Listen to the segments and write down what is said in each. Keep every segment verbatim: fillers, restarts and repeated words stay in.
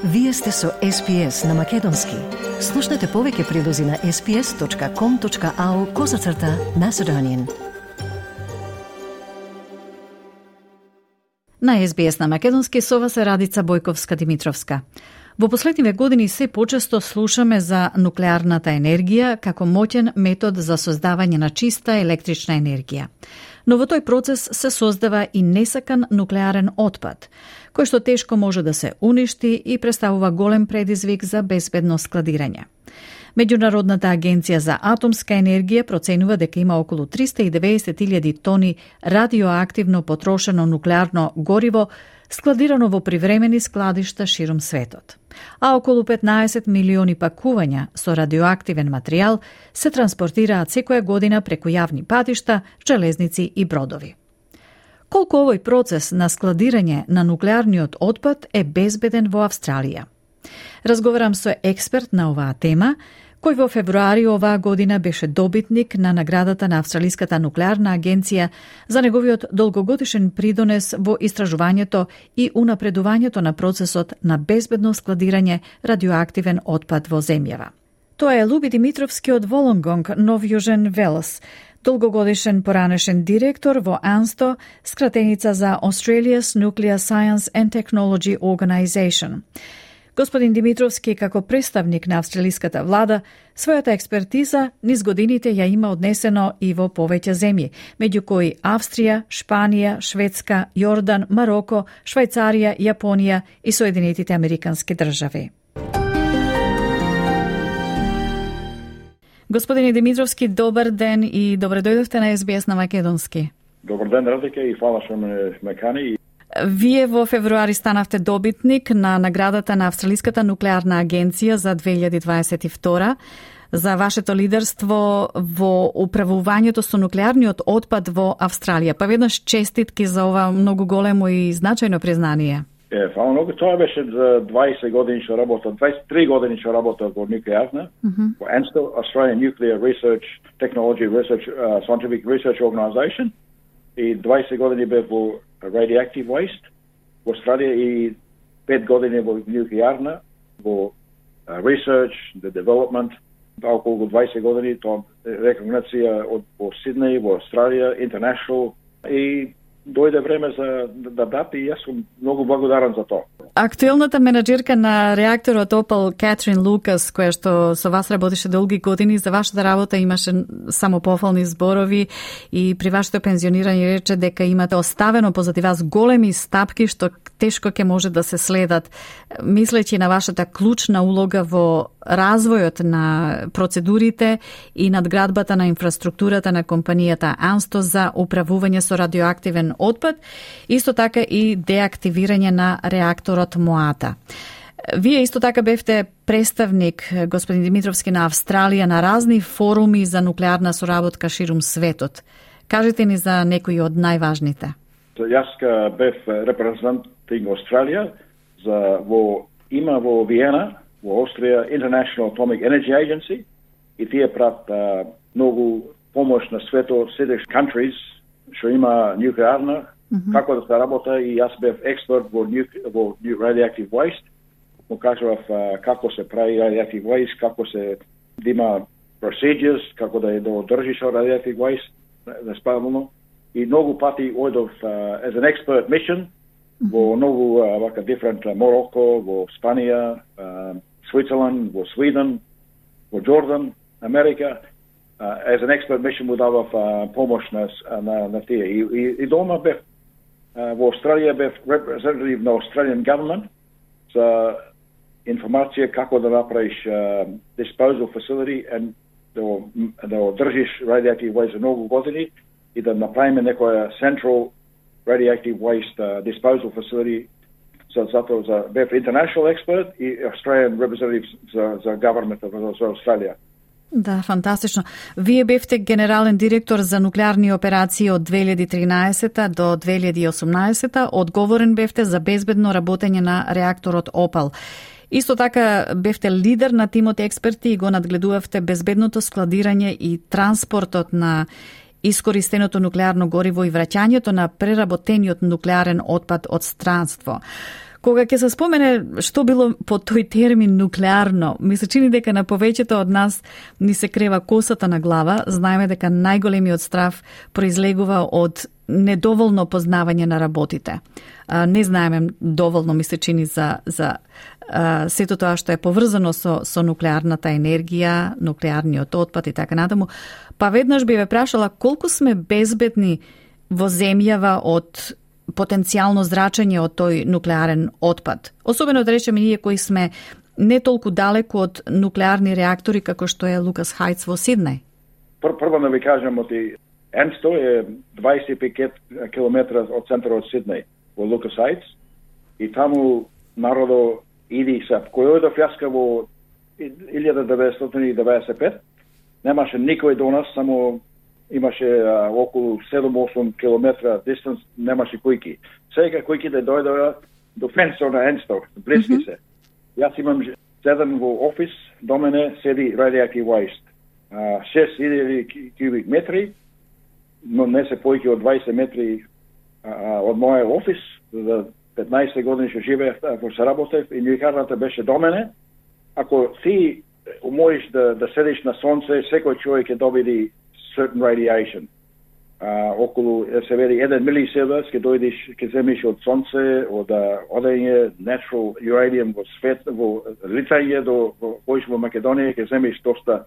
Вие сте со Ес Пи Ес на Македонски. Слушнете повеќе прилози на ес пи ес точка ком точка ау козацрта Macedonian. На Ес Би Ес на Македонски со вас е Радица Бојковска-Димитровска. Во последниве години се почесто слушаме за нуклеарната енергија како моќен метод за создавање на чиста електрична енергија. Но во тој процес се создава и несакан нуклеарен отпад, кој што тешко може да се уништи и представува голем предизвик за безбедно складирање. Меѓународната агенција за атомска енергија проценува дека има околу триста и деветдесет илјади тони радиоактивно потрошено нуклеарно гориво складирано во привремени складишта ширум светот, а околу петнаесет милиони пакувања со радиоактивен материјал се транспортираат секоја година преку јавни патишта, железници и бродови. Колку овој процес на складирање на нуклеарниот отпад е безбеден во Австралија? Разговарам со експерт на оваа тема, кој во февруари оваа година беше добитник на наградата на Австралиската нуклеарна агенција за неговиот долгогодишен придонес во истражувањето и унапредувањето на процесот на безбедно складирање радиоактивен отпад во земјава. Тоа е Луби Димитровски од Волонгонг, Нов Јужен Велс, долгогодишен поранешен директор во АНСТО, скратеница за Australia's Nuclear Science and Technology Organization. Господин Димитровски, како представник на австралиската влада, својата експертиза низ годините ја има однесено и во повеќе земји, меѓу кои Австрија, Шпанија, Шведска, Јордан, Мароко, Швајцарија, Јапонија и Соединетите Американски држави. Господине Димитровски, добар ден и добре дојдовте на Ес Би Ес на Македонски. Добар ден, Радика, и фала што ме мекани. Вие во февруари станавте добитник на наградата на Австралиската нуклеарна агенција за две илјади дваесет и втора за вашето лидерство во управувањето со нуклеарниот отпад во Австралија. Па веднаш честитки за ова многу големо и значајно признание. Е, фала многу. Тоа беше за дваесет години што работев, дваесет и три години што работев во нуклеарна, mm-hmm. во АНСТО, Australian Nuclear Research Technology Research uh, Scientific Research Organization, и дваесет години бев во radioactive waste во Австралија и пет години во нуклеарна, во uh, research, the development, околу дваесет години, тоа рекогнација од во Сиднеј, во Австралија, international, и дојде време за да дати и јас сум многу благодарен за тоа. Актуелната менаџерка на реакторот Опал, Кетрин Лукас, која што со вас работеше долги години, за вашата работа имаше само пофални зборови и при вашето пензионирање рече дека имате оставено позади вас големи стапки што тешко ќе може да се следат, мислејќи на вашата клучна улога во развојот на процедурите и надградбата на инфраструктурата на компанијата АНСТО за управување со радиоактивен отпад, исто така и деактивирање на реакторот Моата. Вие исто така бевте представник, господин Димитровски, на Австралија на разни форуми за нуклеарна соработка ширум светот. Кажете ни за некои од најважните. Јас бев репрезентинг Австралија за во има во Виена, во Австрија, International Atomic Energy Agency, и тие прават а, многу помош на светот, седеш countries што има нуклеарна, mm-hmm. како да се работа, и јас бев експерт во, во radioactive waste, му кажував а, како се прави radioactive waste, како се да има procedures, како да е да одржиш radioactive waste, неспавно, и многу пати одов uh, as an expert mission, mm-hmm. во многу uh, вака different uh, Мороко, во Спанија, uh, Switzerland, во Sweden, во Jordan, Америка, uh, as an expert mission му давав uh, помош на, на, на тие. И, и, и дома бев, uh, во Австралија бев representative на Australian government за информација како да направиш uh, disposal facility and да, да одржиш radioactive waste за многу години и да направиме некоја central radioactive waste uh, disposal facility. So, затоа за бев international expert и Australian representative за, за government за Австралија. Да, фантастично. Вие бевте генерален директор за нуклеарни операции од две илјади и тринаесета до две илјади и осумнаесета, одговорен бевте за безбедно работење на реакторот Опал. Исто така бевте лидер на тимот експерти и го надгледувавте безбедното складирање и транспортот на искористеното нуклеарно гориво и враќањето на преработениот нуклеарен отпад од странство. Кога ќе се спомене што било по тој термин нуклеарно, ми се чини дека на повеќето од нас ни се крева косата на глава. Знаеме дека најголемиот страв произлегува од недоволно познавање на работите. Не знаеме доволно, ми се чини, за, за сето тоа што е поврзано со, со нуклеарната енергија, нуклеарниот отпад и така натаму. Па веднаш би ве прашала колку сме безбедни во земјава од потенцијално зрачење од тој нуклеарен отпад. Особено да речеме ние кои сме не толку далеку од нуклеарни реактори како што е Лукас Хајц во Сиднеј. Прво да ви кажам, оти Енсто е дваесет и пет километра од центарот од Сиднеј во Лукас Хајц и таму народо иди се. Кој одов јаска во илјада деветстотини и деветдесет и пет, немаше никој до нас, само имаше а, околу седум-осум километра дистанс, немаше кујки. Сега кујките дојдоа до фенсор на Енсто, близки mm-hmm. се. Јас имам седен во офис, до мене седи radioactive waste. шест илјади кубик метри, но не се појки од дваесет метри а, од мојот офис. За петнаесет години што живеев во се работев и љекарната беше до мене. Ако ти умоиш да, да седиш на сонце, секој човек ќе добиди certain radiation. Uh, околу, се вели, еден милисиевер, ќе дојдеш, ќе земиш од сонце, од одење natural uranium во свет, во Литвање, до поиш во Македонија, ќе земиш доста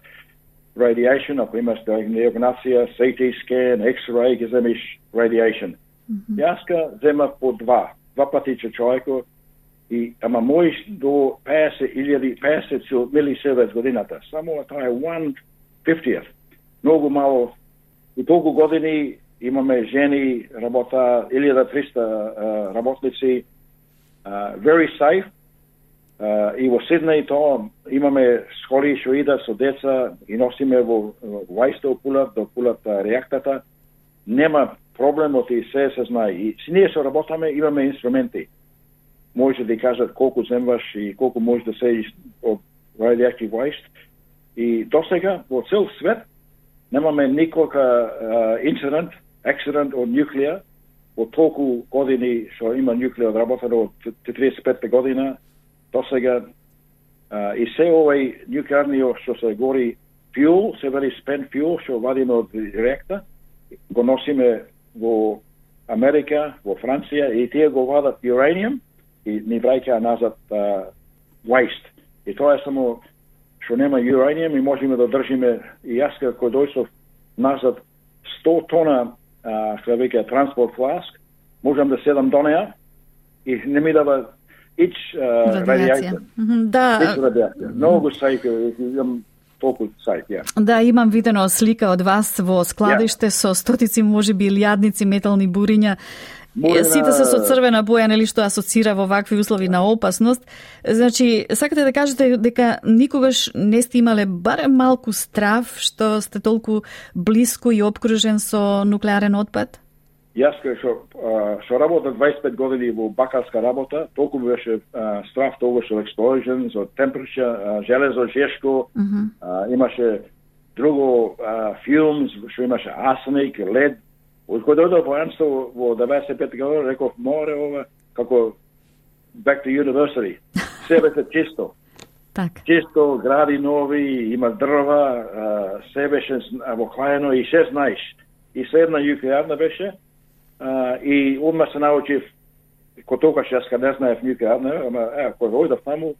radiation, ако имаш диагнозија, си ти scan, X-ray, ќе земиш radiation. Mm-hmm. Јас ка земав по два, два пати че човеко, и ама моиш до петдесет илјади, петдесет милисиевер годината. Само тоа е one fiftieth. Многу мало. И толку години имаме жени, работа илјада триста uh, работници, uh, very safe. Uh, и во Сиднеј тоа имаме школи што идат со деца и носиме во Вајсто пулат, до пулат реактата. Нема проблемот и се се знае. И си ние што работаме, имаме инструменти. Може да кажат колку земваш и колку може да седиш од radioactive waste. И досега во цел свет немаме никога uh, инцидент, акцидент од нуклеа, од толку години што има нуклеа одработено од триесет и петта година, досега uh, и се овој нуклеарниот што се гори fuel, се вели spent fuel, што вадиме од реактор, го носиме во Америка, во Франција, и тие го вадат uranium и ни враќаат назад uh, waste. И тоа е само што нема uranium и можеме да држиме, и јас како дојшов назад сто тона, што веќе транспорт фласк, можам да седам до неа и не ми дава ич радиација. Да. Ич радиација. Многу сајф, имам толку сајф, ја. Да, имам видено слика од вас во складиште yeah. со стотици, можеби илјадници метални буриња. Бурина... Сите се со црвена боја, нели, што асоцира во вакви услови на опасност. Значи, сакате да кажете дека никогаш не сте имале барем малку страв што сте толку блиску и обкружен со нуклеарен отпад? Јас што што работа дваесет и пет години во бакарска работа, толку беше а, страв тогаш од explosions, од temperature, железо, жешко, uh-huh. а, имаше друго а, fumes, што имаше арсеник, лед. Од кога дојдов во Енсто во деветдесет и петта година, реков, море ова, како back to university. Се беше чисто. Так. Чисто, гради нови, има дрва, се беше обоклаено и се знаеш. И се една нуклеарна беше, а, и одма се научив, ко тогаш јас ка не знаев нуклеарна, ама е, кога дојдов таму,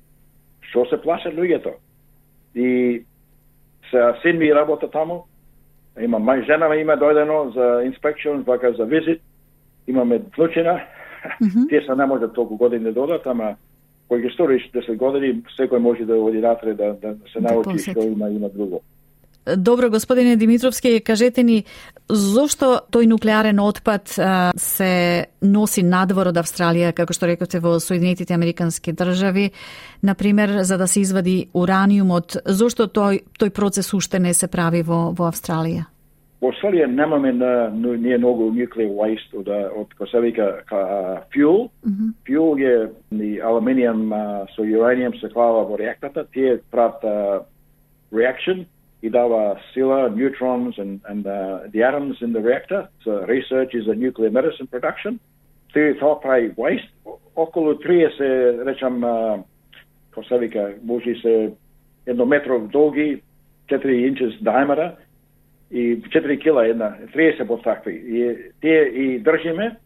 што се плашат луѓето. И се син ми работа таму, има мај жена ме има дојдено за инспекцион, вака за визит. Имаме внучина. Mm-hmm. Тие се не може толку години да додат, ама кој ги сториш десет години, секој може да оди натре да, да се научи што има има друго. Добро, господине Димитровски, кажете ни зошто тој нуклеарен отпад а, се носи надвор од Австралија, како што рековте, во Соединетите Американски држави, например, за да се извади ураниумот, зошто тој тој процес уште не се прави во во Австралија? Во Австралија немаме на ние многу nuclear waste од од кој се вика fuel. Mm-hmm. Fuel е ни алуминиум со uranium се клава во реакторот, тие прават reaction и дава сила, neutrons and, and uh, the atoms in the reactor. So research is a nuclear medicine production. Тоа прави waste, околу триесет, речам, како се вика, може се еднометров долги, четири инчи диаметра и четири кила една, триесет под такви. И тие и држиме,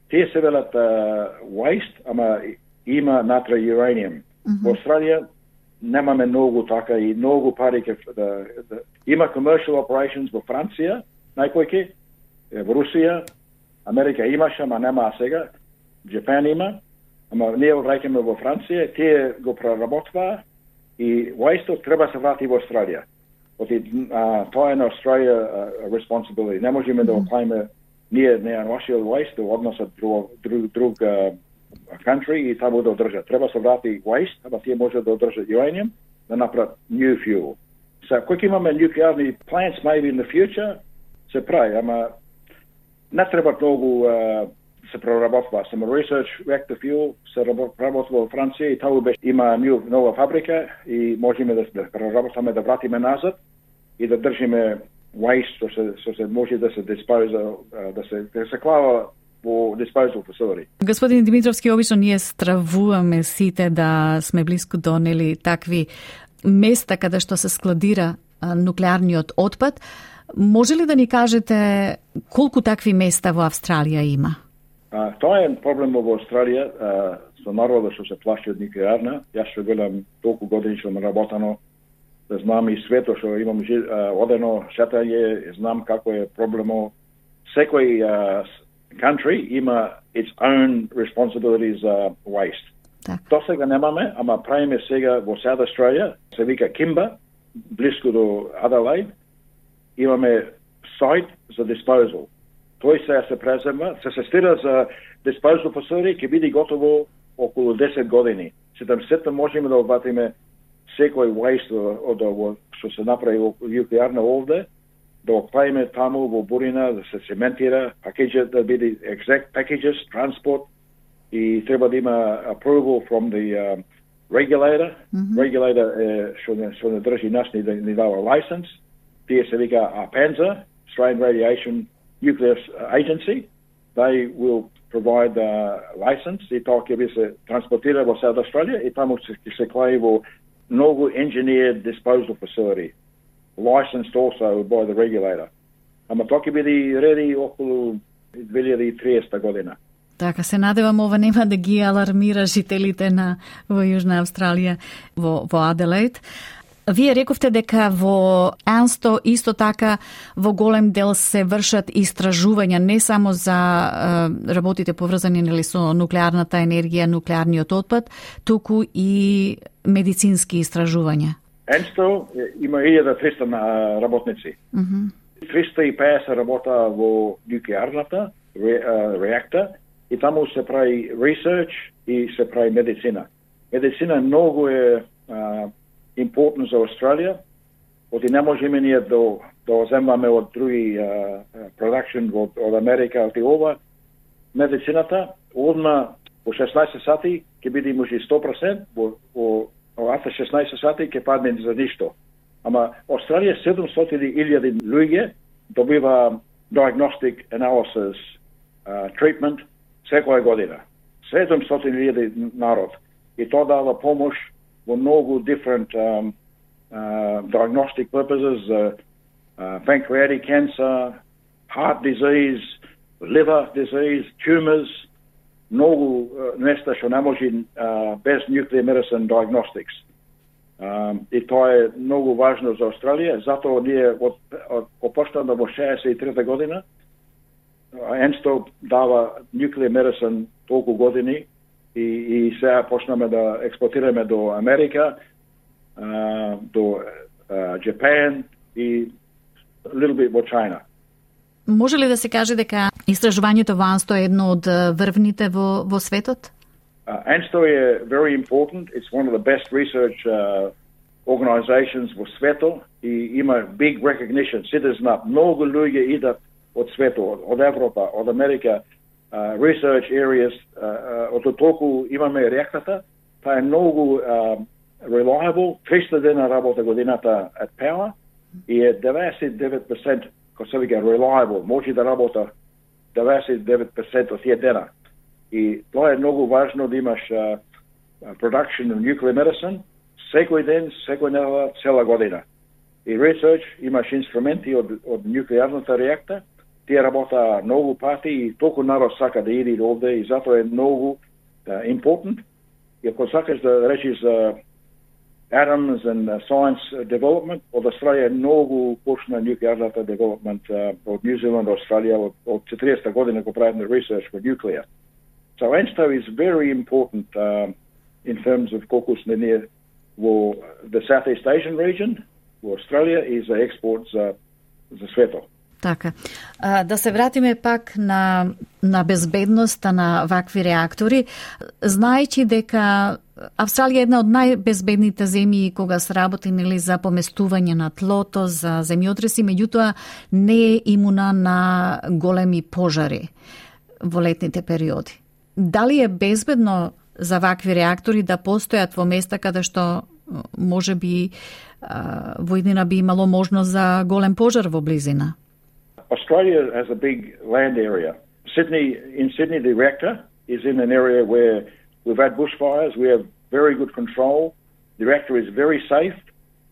тие се велат uh, waste, ама има натра uranium. Mm-hmm. Во Австралија немаме многу така и многу пари ке да, да има commercial operations во Франција, најпојќе, во Русија, Америка имаше, ама нема сега. Japan има, ама ние го враќаме во Франција, тие го проработваа и waste треба се врати во Австралија. Оти тоа е на Австралија uh, responsibility. Не можеме mm-hmm. да оклајме ние не нашиот waste да односат друг друг, друг uh, country и таму да одржат. Треба се врати waste, ама тие може да одржат uranium, да направат new fuel. So, кога имаме nuclearni plants maybe in the future, се прави, ама не треба многу uh, се проработва. Само research reactor fuel се проработва во Франција и таму беше има нова фабрика и можеме да се проработваме, да вратиме назад и да држиме waste, што се, што се може да се диспоза, да се, да се клава во disposal facility. Господин Димитровски, обично ние стравуваме сите да сме близко до нели такви места каде што се складира а, нуклеарниот отпад. Може ли да ни кажете колку такви места во Австралија има? А, тоа е проблем во Австралија, а, со народот што се плаши од нуклеарна. Јас што гледам толку години што ме работано, да знам и свето што имам а, одено шетање, знам како е проблемо. Секој а, country има its own responsibilities за uh, waste. Так. Тоа сега немаме, ама правиме сега во South Australia, се вика Kimba, близко до Adelaide, имаме сайт за disposal. Тој сега се презема, се сестира за disposal facility, ќе биде готово околу десет години. седумдесет можеме да обватиме секој waste од ово што се направи во нуклеарна овде, да го правиме таму во Бурина, да се цементира, пакеджа да биде exact packages, transport, и треба да има approval from the uh, regulator. Mm-hmm. Regulator е што не, што не држи нас ни, ни дава license. Тие се вика APANZA, Australian Radiation Nuclear Agency. They will provide a license и тоа ќе би се транспортира во South Australia и таму ќе се клаи во многу engineered disposal facility, licensed also by the regulator. Ама тоа ќе биде ready околу две илјади и триесета година. Така, се надевам ова нема да ги алармира жителите на во Јужна Австралија, во, во Аделаид. Вие рековте дека во Ансто исто така во голем дел се вршат истражувања не само за е, работите поврзани нели со нуклеарната енергија, нуклеарниот отпад, туку и медицински истражувања. Ансто има илјада и триста работници. Mm-hmm. триста и песет работа во нуклеарната ре, реактор и таму се прави research и се прави медицина. Медицина многу е uh, important за Австралија, оти не можеме ние да, да земаме од други uh, production од, од Америка, оти ова медицината, одма во шеснаесет сати ќе биде може сто проценти, во, во оваа шеснаесет сати ќе падне за ништо. Ама Австралија седумстотини илјади луѓе добива diagnostic analysis uh, treatment секоја година. седумстотини илјади народ. И тоа дава помош во многу different um, uh, diagnostic purposes, uh, uh, pancreatic cancer, heart disease, liver disease, tumors, многу uh, нешта што не може uh, без nuclear medicine diagnostics. Um, и тоа е многу важно за Австралија, затоа ние од, од, опоштано во шеесет и трета година Ансто дава nuclear medicine толку години и, и сега почнаме да експортираме до Америка, uh, до uh, Japan и little bit во China. Може ли да се каже дека истражувањето во Ансто е едно од врвните во, во светот? Uh, Ансто е very important. It's one of the best research uh, organizations во светот и има big recognition. Сите знаат, многу луѓе идат од светот, од Европа, од Америка, uh, research areas, uh, uh, од толку имаме реактората, тоа е многу uh, reliable, триста дена работа годината at power и е деветдесет и девет проценти кој се вика reliable, може да работа деветдесет и девет проценти од тие дена. И тоа е многу важно да имаш uh, production of nuclear medicine секој ден, секој недела, цела година. И research, имаш инструменти од, од нуклеарната реакта, тие работа многу пати и толку народ сака да иде овде и затоа е многу uh, important. И ако сакаш да речиш за uh, atoms and uh, science development, од Австралија е многу почна нуклеарната development uh, од New Zealand, Australia, од, од четириесетта година го правиме research for nuclear. So ANSTO is very important uh, in terms of колку сме ние во the Southeast Asian region, во Австралија и за експорт за, за светот. Така. А, да се вратиме пак на, на безбедноста на вакви реактори, знаејќи дека Австралија е една од најбезбедните земји кога се работи нели за поместување на тлото, за земјотреси, меѓутоа не е имуна на големи пожари во летните периоди. Дали е безбедно за вакви реактори да постојат во места каде што може би во иднина би имало можност за голем пожар во близина? Australia has a big land area. Sydney, in Sydney, the reactor is in an area where we've had bushfires. We have very good control. The reactor is very safe.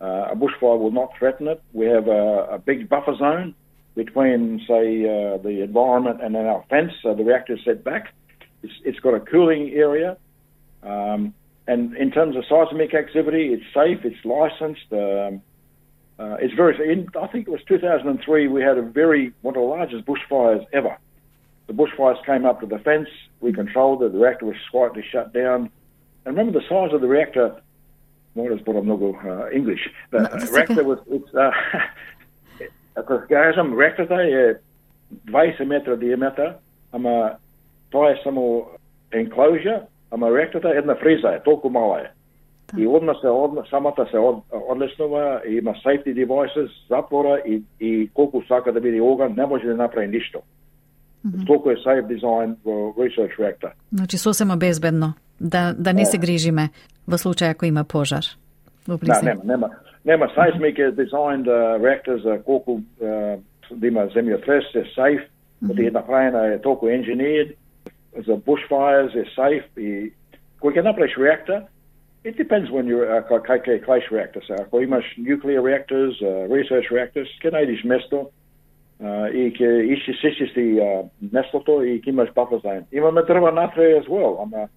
Uh, a bushfire will not threaten it. We have a, a big buffer zone between, say, uh, the environment and then our fence. So the reactor is set back. It's, it's got a cooling area. Um, and in terms of seismic activity, it's safe. It's licensed. Um, Uh, it's very. In, I think it was two thousand three. We had a very one of the largest bushfires ever. The bushfires came up to the fence. We controlled it. The reactor was slightly shut down. And remember the size of the reactor. What is what I'm not uh, English. The no, uh, reactor okay. was. It's. Ако кажам реакторот е дваесет метра диаметар, ама тоа е само enclosure, ама реакторот е една фриза, е толку мала е. И одма се одма, самата се од, одлеснува, и има safety devices, затвора и, и колку сака да биде оган, не може да направи ништо. Mm-hmm. Толку е safe design во research reactor. Значи сосема безбедно да да не се грижиме во случај ако има пожар во близина. Да, нема, нема. Нема seismic designed uh, reactors, uh, колку uh, да има земјотрес е safe, mm-hmm. да е направена е толку engineered, за bushfires е safe и кој ќе направиш реактор. It depends when you're a uh, K K clash reactor. So, ако имаш nuclear reactors, uh, research reactors, ќе најдиш место uh, и ќе иши сичисти uh, местото и ќе имаш buffer zone. Имаме дрва натре as well, ама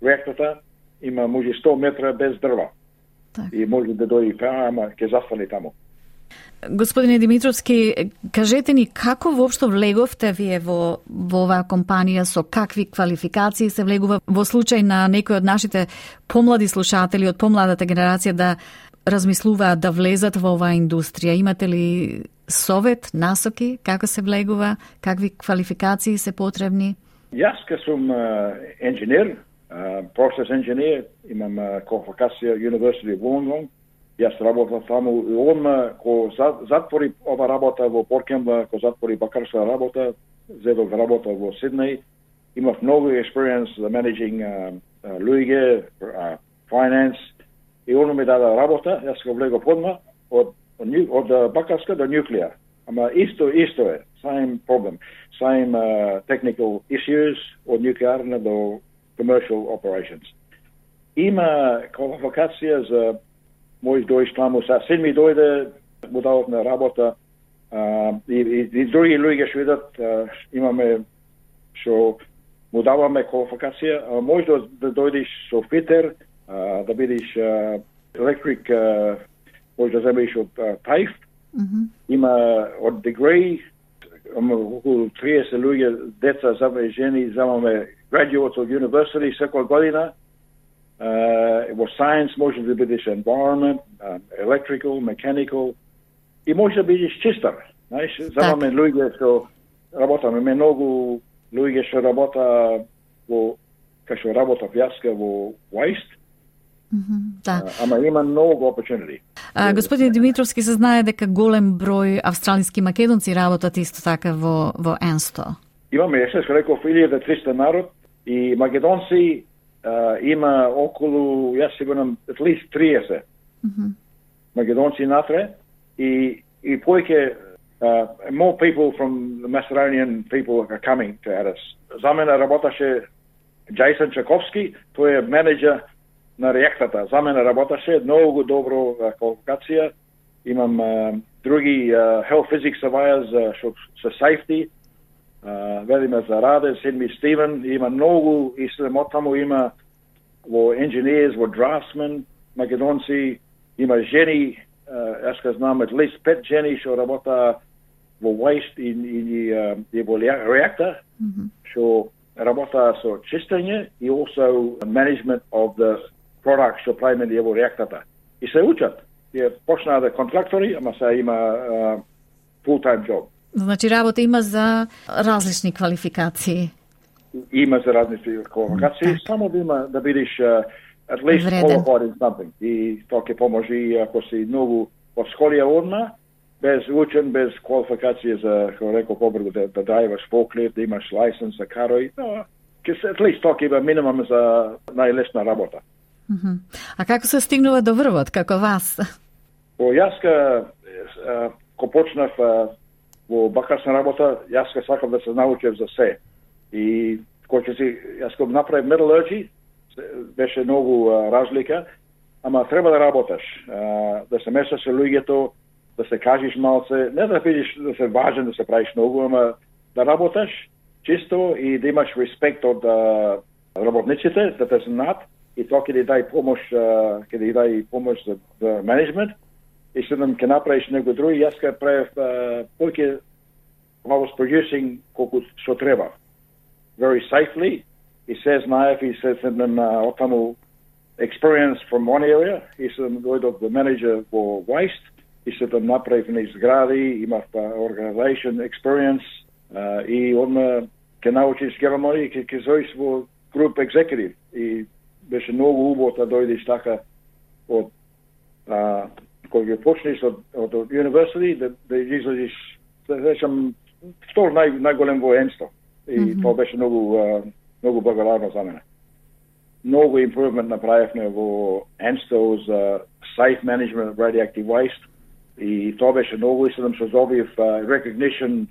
реактората има може сто метра без дрва. Так. И може да дојде паа, ама ќе застане таму. Господине Димитровски, кажете ни како воопшто влеговте вие во, во оваа компанија, со какви квалификации се влегува во случај на некои од нашите помлади слушатели од помладата генерација да размислуваат да влезат во оваа индустрија? Имате ли совет, насоки, како се влегува, какви квалификации се потребни? Јас ке сум инженер, процес инженер, имам квалификација University of Wollongong. Јас работам таму и одма ко затвори ова работа во Поркемба, ко затвори бакарска работа, зедов работа во Сиднеј. Имав многу experience за managing uh, uh, луѓе, uh, finance, и оно ми даде работа, јас го влегов одма од од, од бакарска до nuclear. Ама исто исто е, same problem, same uh, technical issues од нуклеарна до commercial operations. Има квалификација за мој дојш таму, са син ми дојде, му дават на работа, а, и, и, и други луѓе што видат, а, имаме што му даваме квалификација, а може да, да дојдеш со фитер, а, да бидеш електрик, може да земеш од тајф, mm-hmm. има од degree, околу триесет луѓе, деца, заве жени, замаме graduates од university секоја година. Uh, во science може да бидеш environment, uh, electrical, mechanical, и може да бидеш чистар. Знаеш, замаме луѓе што работаме, многу луѓе што работа во, кај што работа јаска во waste, mm-hmm, да. uh, ама има многу opportunity. А, господин Димитровски, се знае дека голем број австралиски македонци работат исто така во, во ANSTO. Имаме, јас што реков, илјада и триста народ и македонци. Uh, има околу, јас сигурам, at least триесет mm-hmm. македонци натре и, и појќе uh, more people from the Macedonian people are coming to us. За мене работаше Джейсон Чаковски, тој е менеджер на реактата. За мене работеше, многу добро квалификација. Имам а, други а, health physics surveyors uh, со safety. Uh, велиме за Раде, Сидми Стивен, има многу, и само таму има во engineers, во draftsmen, македонци, има жени, uh, јас ка знам at least пет жени што работа во waste и, и, uh, и во реактор, што mm-hmm. работа со чистење и also management of the products што правиме во реактората. И се учат. Ја почнаа да контрактори, ама сега има uh, full-time job. Значи работа има за различни квалификации. Има за различни квалификации, mm, само да има да бидеш uh, at least Вреден. qualified in something. И тоа ќе поможи ако си многу во школија одма, без учен, без квалификација за, како рекол, побрзо да, да драйваш forklift, да имаш license за каро и тоа, ќе at least тоа ќе има минимум за најлесна работа. Mm-hmm. А како се стигнува до врвот, како вас? О, јас ка, ко почнав во бакарска работа, јас ка сакам да се научев за се. И кој ќе си, јас ко направив metallurgy, беше многу а, разлика, ама треба да работаш, а, да се месаш со луѓето, да се кажеш малце, не да бидеш да се важен, да се правиш многу, ама да работаш чисто и да имаш респект од а, работниците, да те знаат, и тоа ќе ти дај помош, а, ќе ти дај помош за, за менеджмент, и седам ќе направиш некој други. Јас ка правев повеќе I was producing колку што треба. Very safely. И се знаев и се седам од таму experience from one area. И седам дојдов the manager во waste. И седам направив на изгради, имав organization experience. Uh, и одма ќе научиш германи и ќе зоиш во group executive. И беше многу убаво да дојдеш така од uh, кој ќе почнеш од, од, од university, да, да излезеш, да речам, втор нај, најголем во Енсто. И mm-hmm. тоа беше многу, uh, многу благодарно за мене. Многу improvement направивме во Енсто за safe management of radioactive waste. И тоа беше многу, и седам се добив uh, recognition,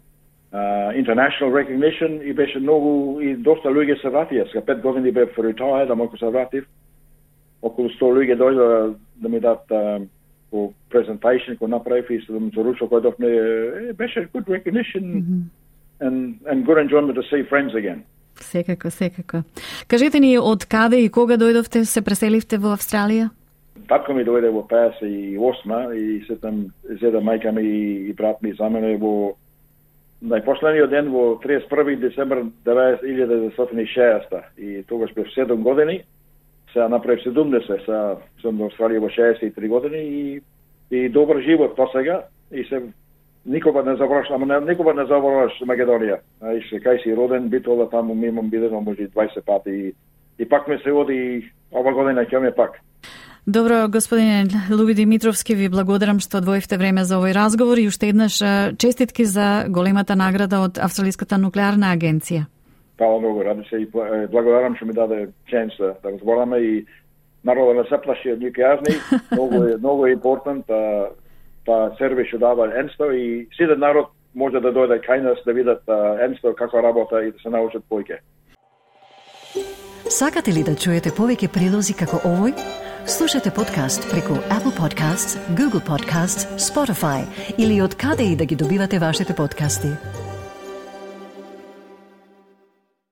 uh, international recognition, и беше многу, и доста луѓе се вратија. Ска пет години бев retired, ама ако се вратив, околу сто луѓе дојдоа да ми дат uh, по презентација кој направив и се заручил кој дофме, беше good recognition mm-hmm. and, and good enjoyment to see friends again. Секако, секако. Кажете ни од каде и кога дојдовте, се преселивте во Австралија? Татко ми дојде во пеесет и осма и сетам зеда мајка ми и брат ми за мене во најпоследниот ден во триесет и први децември илјада деветстотини и шеесета и тогаш бев седум години. Сега направив седумдесет, сега сум во Австралија во шеесет и три години и, и добар живот до сега и се никога не забораш, ама не, никога не забораш Македонија. И се кај си роден, битола таму ми имам бидено може дваесет пати и, и пак ме се оди ова година ќе ме пак. Добро, господине Луби Димитровски, ви благодарам што одвоивте време за овој разговор и уште еднаш честитки за големата награда од Австралиската нуклеарна агенција. Фала многу, ради се и благодарам што ми даде шанс да, да разговараме и народот не се плаши од нуклеарни, многу е многу е important та та сервис што дава Енсто и сите народ може да дојде кај нас да видат Енсто како работа и да се научат повеќе. Сакате ли да чуете повеќе прилози како овој? Слушате подкаст преку Apple Podcasts, Google Podcasts, Spotify или од каде и да ги добивате вашите подкасти.